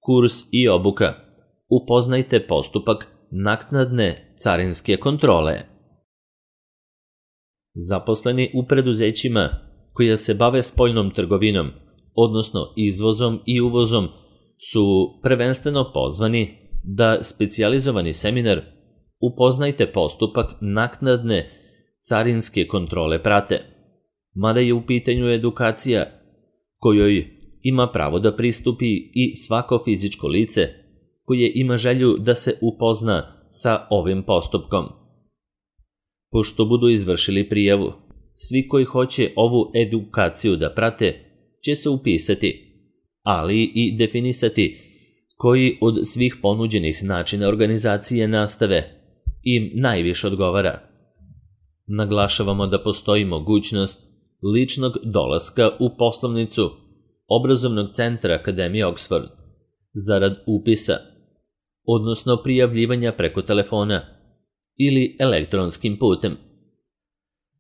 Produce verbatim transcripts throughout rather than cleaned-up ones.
kurs i obuka. Upoznajte postupak naknadne carinske kontrole. Zaposleni u preduzećima koja se bave spoljnom trgovinom, odnosno izvozom i uvozom, su prvenstveno pozvani da specijalizovani seminar Upoznajte postupak naknadne carinske kontrole prate, mada je u pitanju edukacija kojoj ima pravo da pristupi i svako fizičko lice koje ima želju da se upozna sa ovim postupkom. Pošto budu izvršili prijavu, svi koji hoće ovu edukaciju da prate će se upisati, ali i definisati koji od svih ponuđenih načina organizacije nastave im najviše odgovara. Naglašavamo da postoji mogućnost ličnog dolaska u poslovnicu Obrazovnog centra Akademije Oxford zarad upisa, odnosno prijavljivanja preko telefona ili elektronskim putem.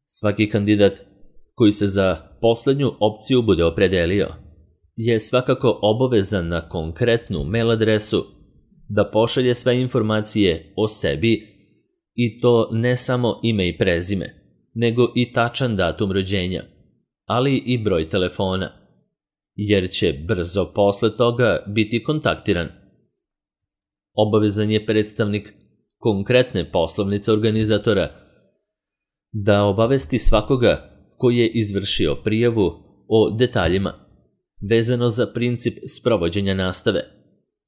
Svaki kandidat koji se za poslednju opciju bude opredelio je svakako obavezan na konkretnu mail adresu da pošalje sve informacije o sebi, i to ne samo ime i prezime, nego i tačan datum rođenja, ali i broj telefona, jer će brzo posle toga biti kontaktiran. Obavezan je predstavnik konkretne poslovnice organizatora da obavesti svakoga koji je izvršio prijavu o detaljima vezano za princip sprovođenja nastave,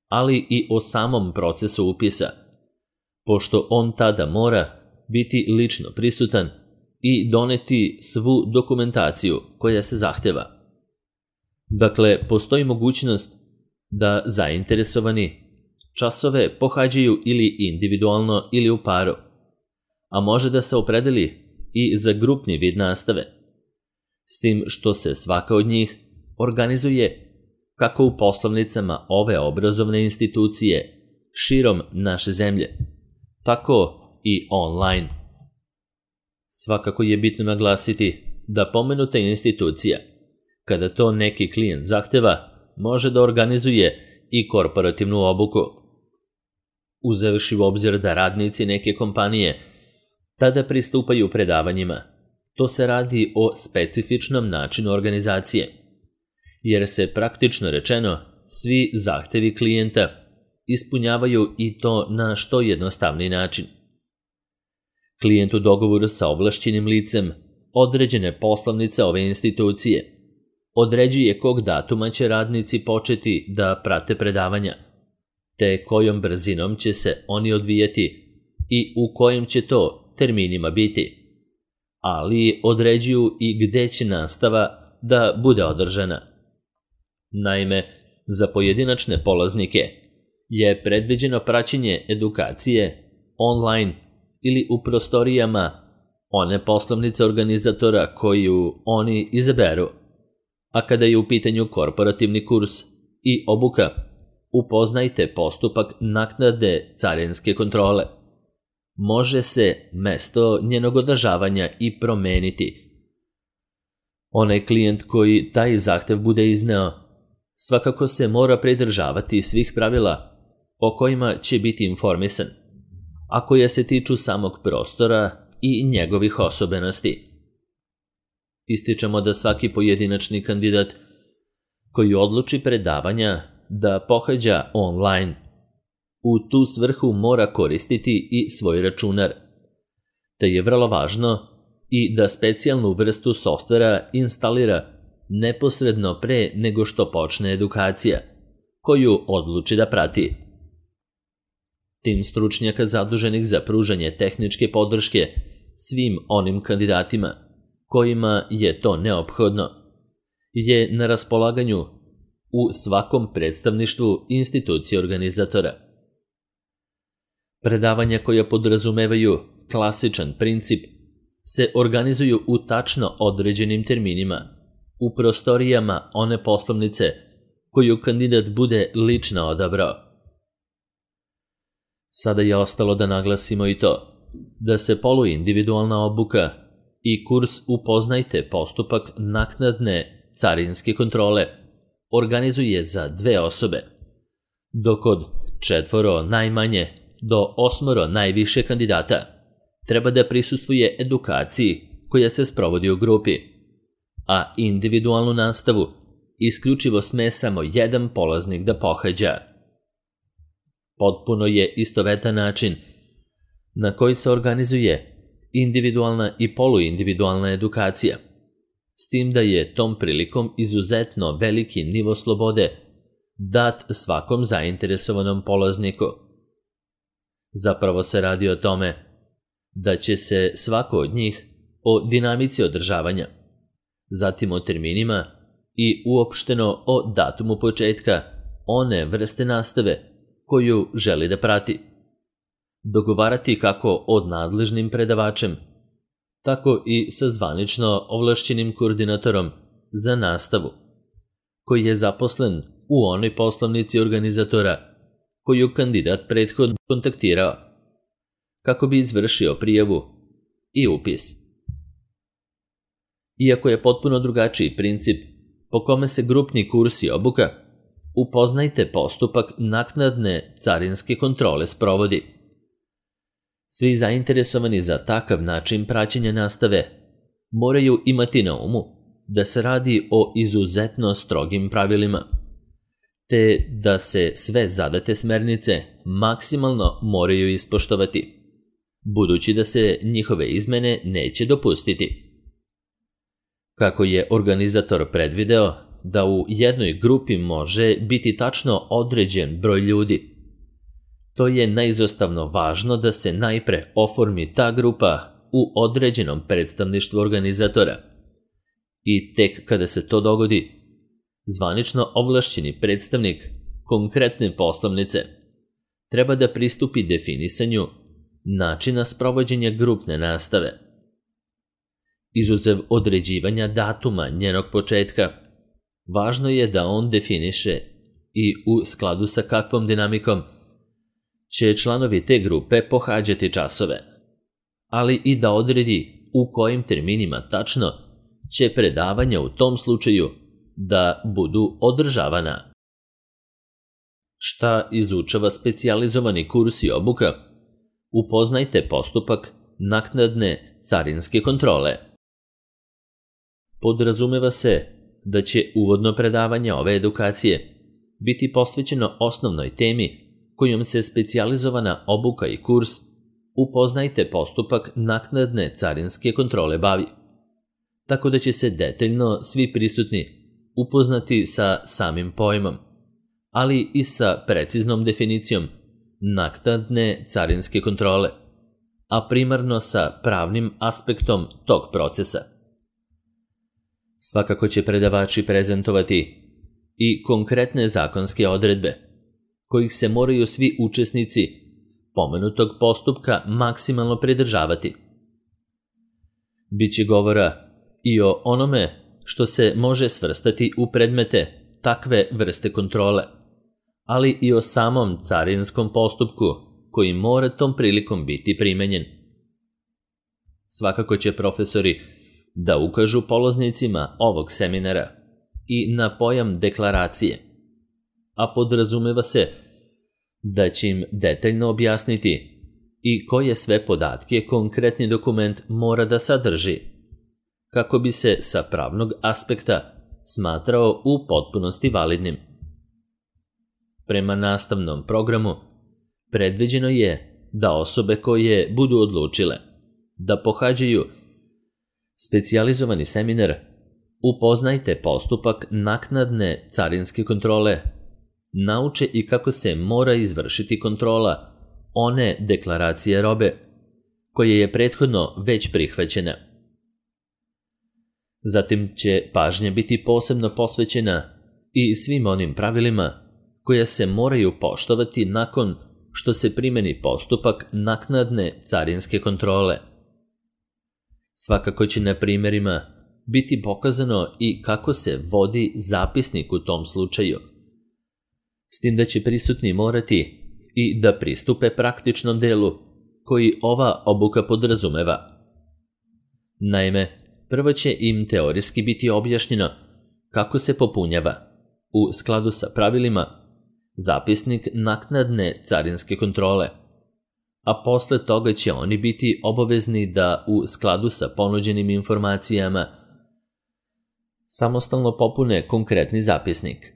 ali i o samom procesu upisa, pošto on tada mora biti lično prisutan i doneti svu dokumentaciju koja se zahteva. Dakle, postoji mogućnost da zainteresovani časove pohađaju ili individualno ili u paru, a može da se opredeli i za grupni vid nastave, s tim što se svaka od njih organizuje kako u poslovnicama ove obrazovne institucije širom naše zemlje, tako i online. Svakako je bitno naglasiti da pomenuta institucija, kada to neki klijent zahteva, može da organizuje i korporativnu obuku. Uzevši u obzir da radnici neke kompanije tada pristupaju predavanjima, to se radi o specifičnom načinu organizacije, jer se praktično rečeno svi zahtevi klijenta ispunjavaju i to na što jednostavniji način. Klijent u dogovoru sa ovlašćenim licem određene poslovnice ove institucije određuje kog datuma će radnici početi da prate predavanja, te kojom brzinom će se oni odvijati i u kojim će to terminima biti, ali određuju i gde će nastava da bude održana. Naime, za pojedinačne polaznike je predviđeno praćenje edukacije online ili u prostorijama one poslovnice organizatora koju oni izaberu, a kada je u pitanju korporativni kurs i obuka, upoznajte postupak naknade carinske kontrole. Može se mesto njenog održavanja i promeniti. Onaj klijent koji taj zahtev bude izneo svakako se mora pridržavati svih pravila o kojima će biti informisan, a koja se tiču samog prostora i njegovih osobenosti. Ističemo da svaki pojedinačni kandidat koji odluči predavanja da pohađa online, u tu svrhu mora koristiti i svoj računar, te je vrlo važno i da specijalnu vrstu softvera instalira neposredno pre nego što počne edukacija, koju odluči da prati. Tim stručnjaka zaduženih za pružanje tehničke podrške svim onim kandidatima kojima je to neophodno je na raspolaganju u svakom predstavništvu institucije organizatora. Predavanja koja podrazumevaju klasičan princip se organizuju u tačno određenim terminima u prostorijama one poslovnice koju kandidat bude lično odabrao. Sada je ostalo da naglasimo i to da se poluindividualna obuka i kurs Upoznajte postupak naknadne carinske kontrole organizuje za dve osobe, dok od četvoro najmanje do osmoro najviše kandidata treba da prisustvuje edukaciji koja se sprovodi u grupi, a individualnu nastavu isključivo sme samo jedan polaznik da pohađa. Potpuno je istovetan način na koji se organizuje individualna i poluindividualna edukacija, s tim da je tom prilikom izuzetno veliki nivo slobode dat svakom zainteresovanom polazniku. Zapravo se radi o tome da će se svako od njih o dinamici održavanja, zatim o terminima i uopšteno o datumu početka one vrste nastave koju želi da prati, dogovarati kako od nadležnim predavačem, tako i sa zvanično ovlašćenim koordinatorom za nastavu, koji je zaposlen u onoj poslovnici organizatora koju kandidat prethodno kontaktirao, kako bi izvršio prijavu i upis. Iako je potpuno drugačiji princip po kome se grupni kurs i obuka, upoznajte postupak naknadne carinske kontrole sprovodi. Svi zainteresovani za takav način praćenja nastave moraju imati na umu da se radi o izuzetno strogim pravilima, te da se sve zadate smernice maksimalno moraju ispoštovati, budući da se njihove izmene neće dopustiti. Kako je organizator predvideo da u jednoj grupi može biti tačno određen broj ljudi, to je neizostavno važno da se najpre oformi ta grupa u određenom predstavništvu organizatora i tek kada se to dogodi, zvanično ovlašćeni predstavnik konkretne poslovnice treba da pristupi definisanju načina sprovođenja grupne nastave. Izuzev određivanja datuma njenog početka, važno je da on definiše i u skladu sa kakvom dinamikom će članovi te grupe pohađati časove, ali i da odredi u kojim terminima tačno će predavanja u tom slučaju da budu održavana. Šta izučava specijalizovani kurs i obuka? Upoznajte postupak naknadne carinske kontrole. Podrazumeva se da će uvodno predavanje ove edukacije biti posvećeno osnovnoj temi kojom se specijalizovana obuka i kurs upoznajte postupak naknadne carinske kontrole bavi, tako da će se detaljno svi prisutni upoznati sa samim pojmom, ali i sa preciznom definicijom naknadne carinske kontrole, a primarno sa pravnim aspektom tog procesa. Svakako će predavači prezentovati i konkretne zakonske odredbe, kojih se moraju svi učesnici pomenutog postupka maksimalno pridržavati. Biće govora i o onome što se može svrstati u predmete takve vrste kontrole, ali i o samom carinskom postupku koji mora tom prilikom biti primenjen. Svakako će profesori da ukažu polaznicima ovog seminara i na pojam deklaracije, a podrazumeva se da će im detaljno objasniti i koje sve podatke konkretni dokument mora da sadrži, kako bi se sa pravnog aspekta smatrao u potpunosti validnim. Prema nastavnom programu, predviđeno je da osobe koje budu odlučile da pohađaju specijalizovani seminar upoznajte postupak naknadne carinske kontrole, nauče i kako se mora izvršiti kontrola one deklaracije robe koja je prethodno već prihvaćena. Zatim će pažnja biti posebno posvećena i svim onim pravilima koja se moraju poštovati nakon što se primeni postupak naknadne carinske kontrole. Svakako će na primjerima biti pokazano i kako se vodi zapisnik u tom slučaju, s tim da će prisutni morati i da pristupe praktičnom delu koji ova obuka podrazumeva. Naime, prvo će im teorijski biti objašnjeno kako se popunjava, u skladu sa pravilima, zapisnik naknadne carinske kontrole, a posle toga će oni biti obavezni da u skladu sa ponuđenim informacijama samostalno popune konkretni zapisnik.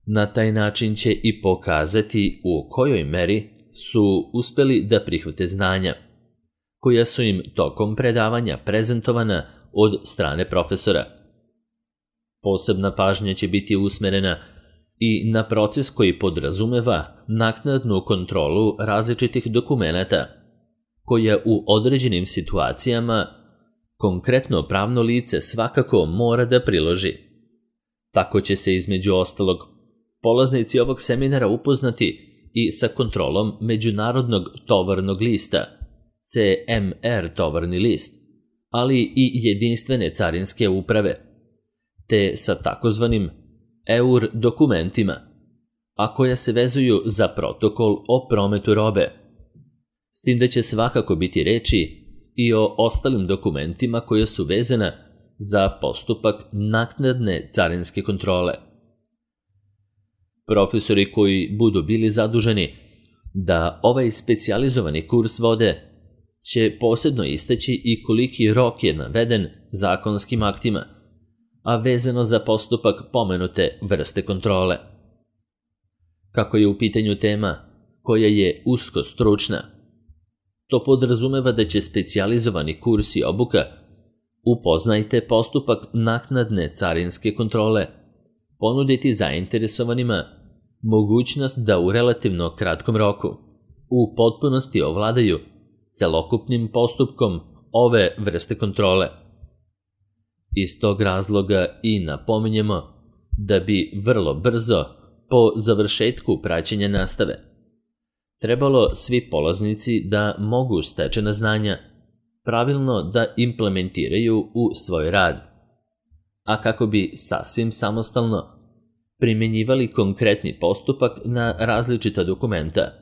Na taj način će i pokazati u kojoj meri su uspeli da prihvate znanja, koja su im tokom predavanja prezentovana od strane profesora. Posebna pažnja će biti usmerena i na proces koji podrazumeva naknadnu kontrolu različitih dokumenata, koja u određenim situacijama konkretno pravno lice svakako mora da priloži. Tako će se između ostalog polaznici ovog seminara upoznati i sa kontrolom Međunarodnog tovarnog lista, C M R tovarni list, ali i jedinstvene carinske uprave, te sa takozvanim E U R dokumentima, a koja se vezuju za protokol o prometu robe. S tim da će svakako biti reči i o ostalim dokumentima koja su vezana za postupak naknadne carinske kontrole. Profesori koji budu bili zaduženi da ovaj specijalizovani kurs vode će posebno istaći i koliki rok je naveden zakonskim aktima, a vezano za postupak pomenute vrste kontrole. Kako je u pitanju tema koja je usko stručna, to podrazumeva da će specijalizovani kurs i obuka upoznajte postupak naknadne carinske kontrole ponuditi zainteresovanima mogućnost da u relativno kratkom roku u potpunosti ovladaju celokupnim postupkom ove vrste kontrole. Iz tog razloga i napominjemo da bi vrlo brzo po završetku praćenja nastave trebalo svi polaznici da mogu stečena znanja pravilno da implementiraju u svoj rad, a kako bi sasvim samostalno primjenjivali konkretni postupak na različita dokumenta,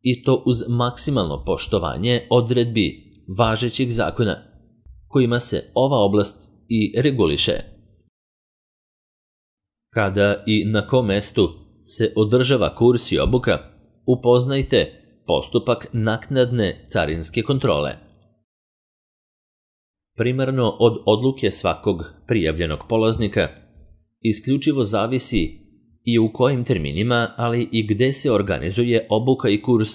i to uz maksimalno poštovanje odredbi važećih zakona kojima se ova oblast i reguliše. Kada i na kom mestu se održava kurs i obuka, upoznajte postupak naknadne carinske kontrole. Primarno od odluke svakog prijavljenog polaznika isključivo zavisi i u kojim terminima, ali i gde se organizuje obuka i kurs,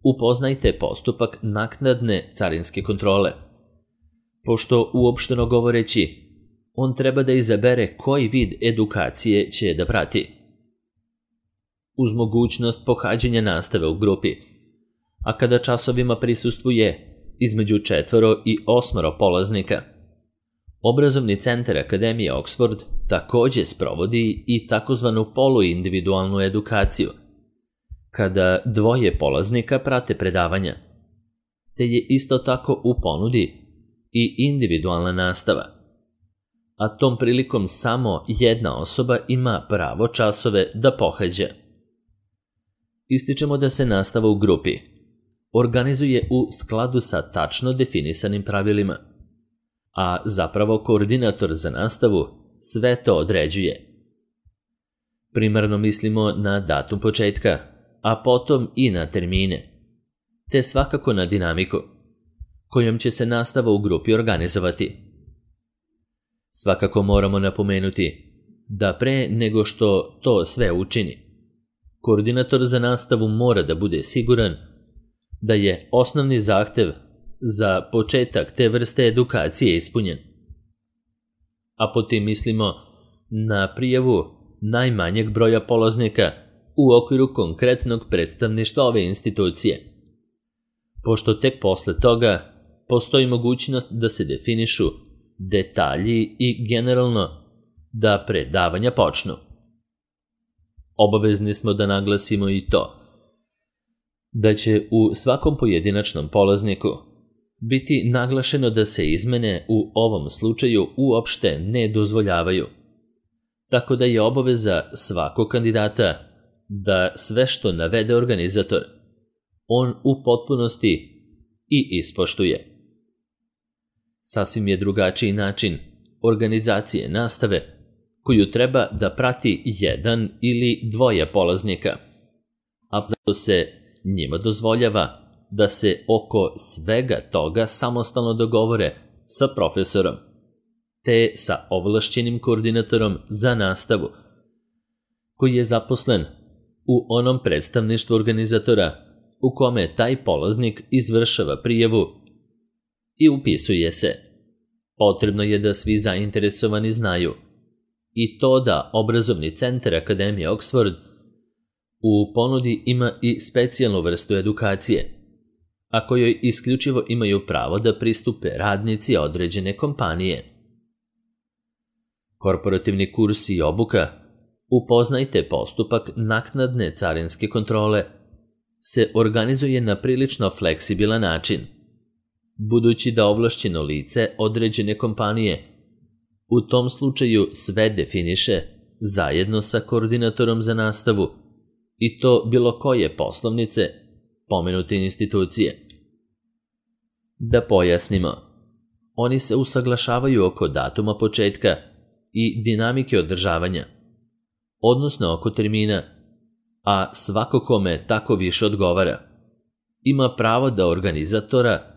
upoznajte postupak naknadne carinske kontrole. Pošto uopšteno govoreći, on treba da izabere koji vid edukacije će da prati. Uz mogućnost pohađanja nastave u grupi, a kada časovima prisustvuje između četvoro i osmoro polaznika, Obrazovni centar Akademije Oxford takođe sprovodi i takozvanu poluindividualnu edukaciju, kada dvoje polaznika prate predavanja, te je isto tako u ponudi i individualna nastava, a tom prilikom samo jedna osoba ima pravo časove da pohađa. Ističemo da se nastava u grupi organizuje u skladu sa tačno definisanim pravilima, a zapravo koordinator za nastavu sve to određuje. Primarno mislimo na datum početka, a potom i na termine, te svakako na dinamiku kojom će se nastava u grupi organizovati. Svakako moramo napomenuti da pre nego što to sve učini, koordinator za nastavu mora da bude siguran da je osnovni zahtev za početak te vrste edukacije ispunjen. A potom mislimo na prijavu najmanjeg broja polaznika u okviru konkretnog predstavništva ove institucije, pošto tek posle toga postoji mogućnost da se definišu detalji i generalno da predavanja počnu. Obavezni smo da naglasimo i to da će u svakom pojedinačnom polazniku biti naglašeno da se izmene u ovom slučaju uopšte ne dozvoljavaju, tako da je obaveza svakog kandidata da sve što navede organizator on u potpunosti i ispoštuje. Sasvim je drugačiji način organizacije nastave koju treba da prati jedan ili dvoje polaznika, a zato se njima dozvoljava da se oko svega toga samostalno dogovore sa profesorom, te sa ovlašćenim koordinatorom za nastavu, koji je zaposlen u onom predstavništvu organizatora u kome taj polaznik izvršava prijavu i upisuje se. Potrebno je da svi zainteresovani znaju i to da obrazovni centar Akademije Oxford u ponudi ima i specijalnu vrstu edukacije, a kojoj isključivo imaju pravo da pristupe radnici određene kompanije. Korporativni kurs i obuka Upoznajte postupak naknadne carinske kontrole se organizuje na prilično fleksibilan način, budući da ovlašćeno lice određene kompanije u tom slučaju sve definiše zajedno sa koordinatorom za nastavu i to bilo koje poslovnice pomenute institucije. Da pojasnimo, oni se usaglašavaju oko datuma početka i dinamike održavanja, odnosno oko termina, a svako kome tako više odgovara ima pravo da organizatora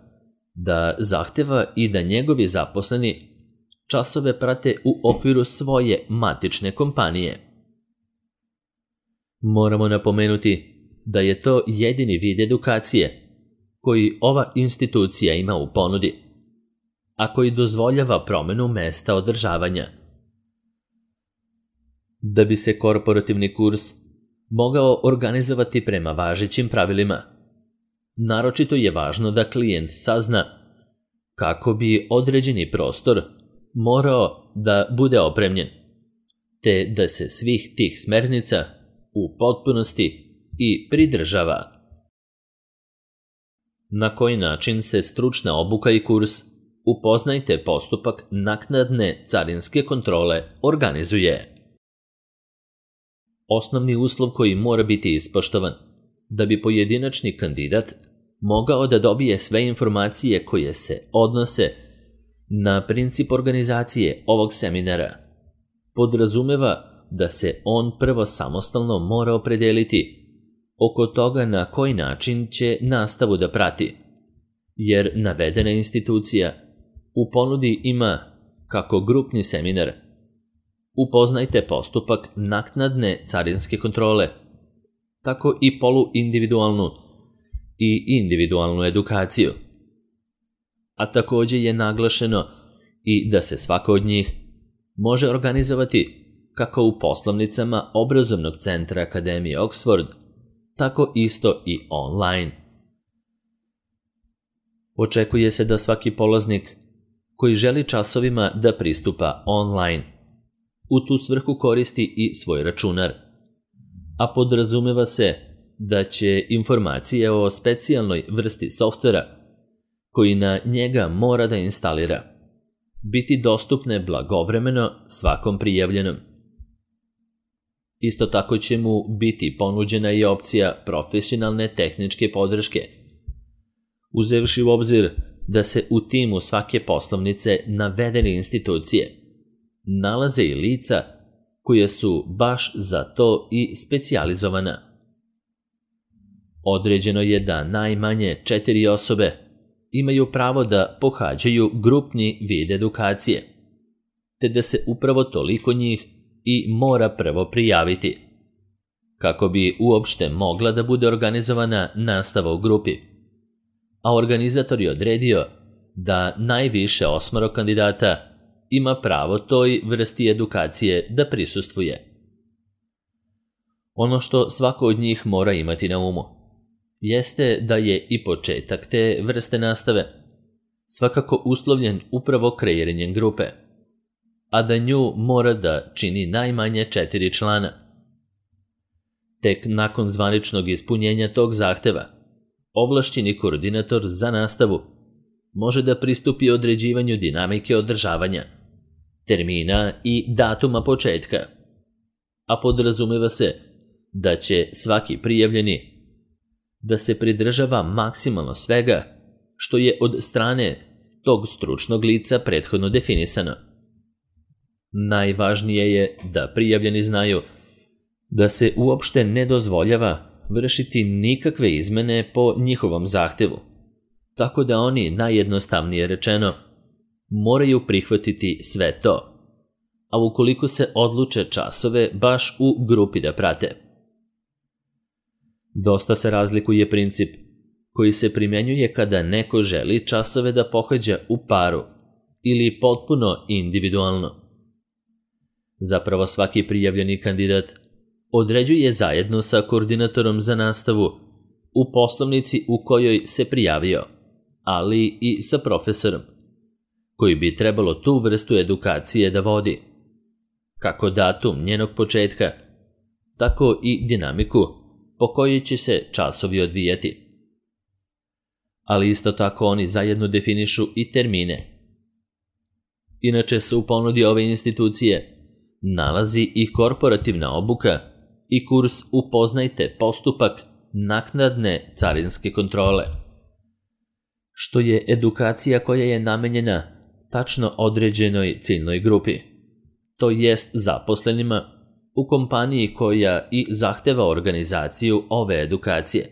da zahteva i da njegovi zaposleni časove prate u okviru svoje matične kompanije. Moramo napomenuti da je to jedini vid edukacije koji ova institucija ima u ponudi, a koji dozvoljava promenu mesta održavanja. Da bi se korporativni kurs mogao organizovati prema važećim pravilima, naročito je važno da klijent sazna kako bi određeni prostor morao da bude opremljen, te da se svih tih smernica u potpunosti i pridržava. Na koji način se stručna obuka i kurs Upoznajte postupak naknadne carinske kontrole organizuje. Osnovni uslov koji mora biti ispoštovan da bi pojedinačni kandidat mogao da dobije sve informacije koje se odnose na princip organizacije ovog seminara, podrazumeva da se on prvo samostalno mora opredeliti oko toga na koji način će nastavu da prati, jer navedena institucija u ponudi ima kako grupni seminar Upoznajte postupak naknadne carinske kontrole, tako i poluindividualnu i individualnu edukaciju. A također je naglašeno i da se svaka od njih može organizovati kako u poslovnicama obrazovnog centra Akademije Oxford, tako isto i online. Očekuje se da svaki polaznik koji želi časovima da pristupa online u tu svrhu koristi i svoj računar, a podrazumeva se da će informacije o specijalnoj vrsti softvera koji na njega mora da instalira biti dostupne blagovremeno svakom prijavljenom. Isto tako će mu biti ponuđena i opcija profesionalne tehničke podrške, uzevši u obzir da se u timu svake poslovnice navedene institucije nalaze i lica koja su baš za to i specijalizovana. Određeno je da najmanje četiri osobe imaju pravo da pohađaju grupni vid edukacije, te da se upravo toliko njih i mora prvo prijaviti, kako bi uopšte mogla da bude organizovana nastava u grupi, a organizator je odredio da najviše osmoro kandidata ima pravo toj vrsti edukacije da prisustvuje. Ono što svako od njih mora imati na umu jeste da je i početak te vrste nastave svakako uslovljen upravo kreiranjem grupe, a da nju mora da čini najmanje četiri člana. Tek nakon zvaničnog ispunjenja tog zahteva, ovlašćeni koordinator za nastavu može da pristupi određivanju dinamike održavanja, termina i datuma početka, a podrazumeva se da će svaki prijavljeni da se pridržava maksimalno svega što je od strane tog stručnog lica prethodno definisano. Najvažnije je da prijavljeni znaju da se uopšte ne dozvoljava vršiti nikakve izmene po njihovom zahtevu, tako da oni, najjednostavnije rečeno, moraju prihvatiti sve to, a ukoliko se odluče časove baš u grupi da prate. Dosta se razlikuje princip koji se primjenjuje kada neko želi časove da pohađa u paru ili potpuno individualno. Zapravo svaki prijavljeni kandidat određuje zajedno sa koordinatorom za nastavu u poslovnici u kojoj se prijavio, ali i sa profesorom, koji bi trebalo tu vrstu edukacije da vodi, kako datum njenog početka, tako i dinamiku po kojoj će se časovi odvijati. Ali isto tako oni zajedno definišu i termine. Inače se u ponudi ove institucije nalazi i korporativna obuka i kurs Upoznajte postupak naknadne carinske kontrole, što je edukacija koja je namenjena tačno određenoj ciljnoj grupi, to jest zaposlenima u kompaniji koja i zahteva organizaciju ove edukacije.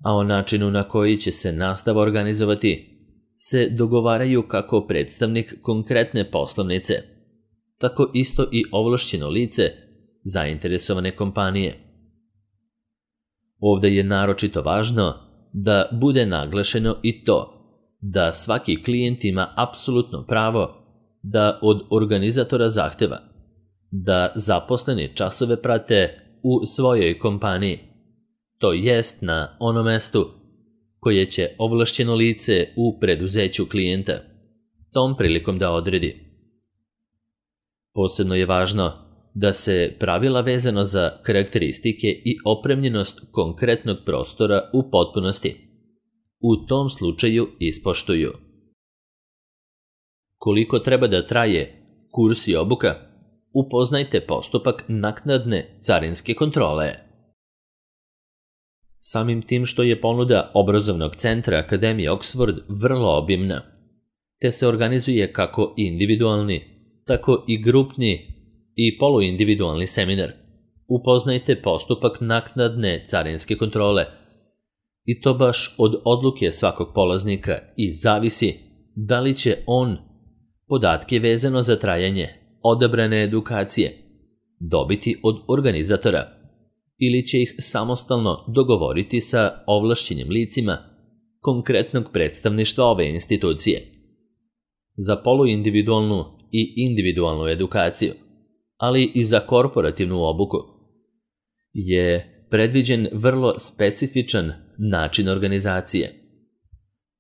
A o načinu na koji će se nastava organizovati se dogovaraju kako predstavnik konkretne poslovnice, tako isto i ovlašćeno lice zainteresovane kompanije. Ovde je naročito važno da bude naglašeno i to da svaki klijent ima apsolutno pravo da od organizatora zahteva da zaposleni časove prate u svojoj kompaniji, to jest na onom mestu koje će ovlašćeno lice u preduzeću klijenta tom prilikom da odredi. Posebno je važno da se pravila vezano za karakteristike i opremljenost konkretnog prostora u potpunosti u tom slučaju ispoštuju. Koliko treba da traje kurs i obuka? Upoznajte postupak naknadne carinske kontrole. Samim tim što je ponuda obrazovnog centra Akademije Oxford vrlo obimna, te se organizuje kako individualni, tako i grupni i poluindividualni seminar. Upoznajte postupak naknadne carinske kontrole. I to baš od odluke svakog polaznika i zavisi da li će on podatke vezano za trajanje odabrane edukacije dobiti od organizatora ili će ih samostalno dogovoriti sa ovlašćenim licima konkretnog predstavništva ove institucije. Za poluindividualnu i individualnu edukaciju, ali i za korporativnu obuku, je predviđen vrlo specifičan način organizacije,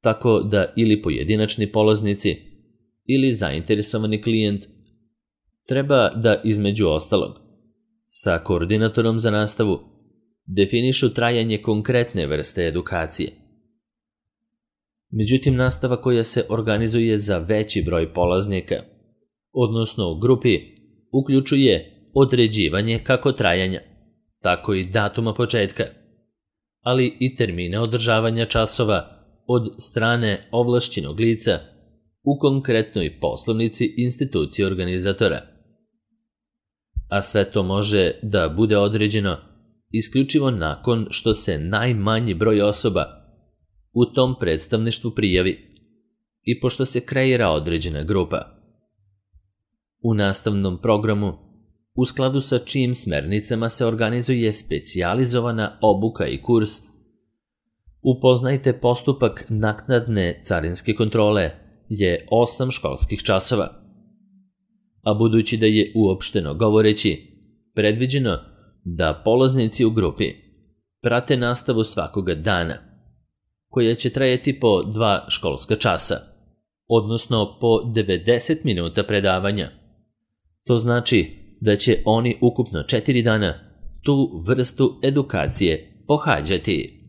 tako da ili pojedinačni polaznici ili zainteresovani klijent treba da između ostalog sa koordinatorom za nastavu definišu trajanje konkretne vrste edukacije. Međutim, nastava koja se organizuje za veći broj polaznika, odnosno u grupi, uključuje određivanje kako trajanja, tako i datuma početka, ali i termine održavanja časova od strane ovlašćenog lica u konkretnoj poslovnici institucije organizatora. A sve to može da bude određeno isključivo nakon što se najmanji broj osoba u tom predstavništvu prijavi i pošto se kreira određena grupa. U nastavnom programu, u skladu sa čijim smernicama se organizuje specijalizovana obuka i kurs, Upoznajte postupak naknadne carinske kontrole je osam školskih časova. A budući da je uopšteno govoreći predviđeno da polaznici u grupi prate nastavu svakoga dana, koja će trajati po dva školska časa, odnosno po devedeset minuta predavanja. To znači da će oni ukupno četiri dana tu vrstu edukacije pohađati.